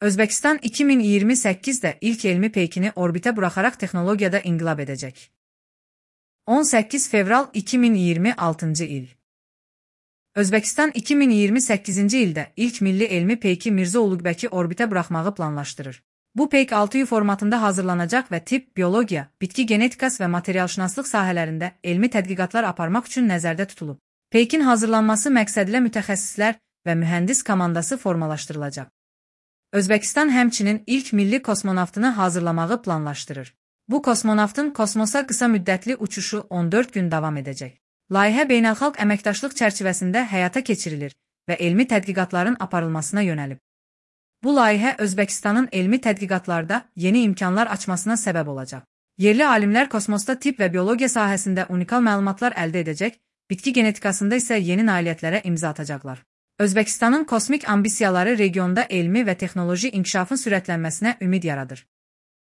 Özbəkistan 2028-də ilk elmi peykini orbitə buraxaraq texnologiyada inqilab edəcək. 18 fevral 2026-cı il. Özbəkistan 2028-ci ildə ilk milli elmi peyki Mirzə Uluqbəki orbitə buraxmağı planlaşdırır. Bu peyk 6U formatında hazırlanacaq və tibb, biologiya, bitki genetikası və materialşünaslıq sahələrində elmi tədqiqatlar aparmaq üçün nəzərdə tutulub. Peykin hazırlanması məqsədilə mütəxəssislər və mühəndis komandası formalaşdırılacaq. Özbəkistan həmçinin ilk milli kosmonavtını hazırlamağı planlaşdırır. Bu kosmonavtın kosmosa qısa müddətli uçuşu 14 gün davam edəcək. Layihə beynəlxalq əməkdaşlıq çərçivəsində həyata keçirilir və elmi tədqiqatların aparılmasına yönəlib. Bu layihə Özbəkistanın elmi tədqiqatlarda yeni imkanlar açmasına səbəb olacaq. Yerli alimlər kosmosda tibb və biologiya sahəsində unikal məlumatlar əldə edəcək, bitki genetikasında isə yeni nailiyyətlərə imza atacaqlar. Özbəkistanın kosmik ambisiyaları regionda elmi və texnoloji inkişafın sürətlənməsinə ümid yaradır.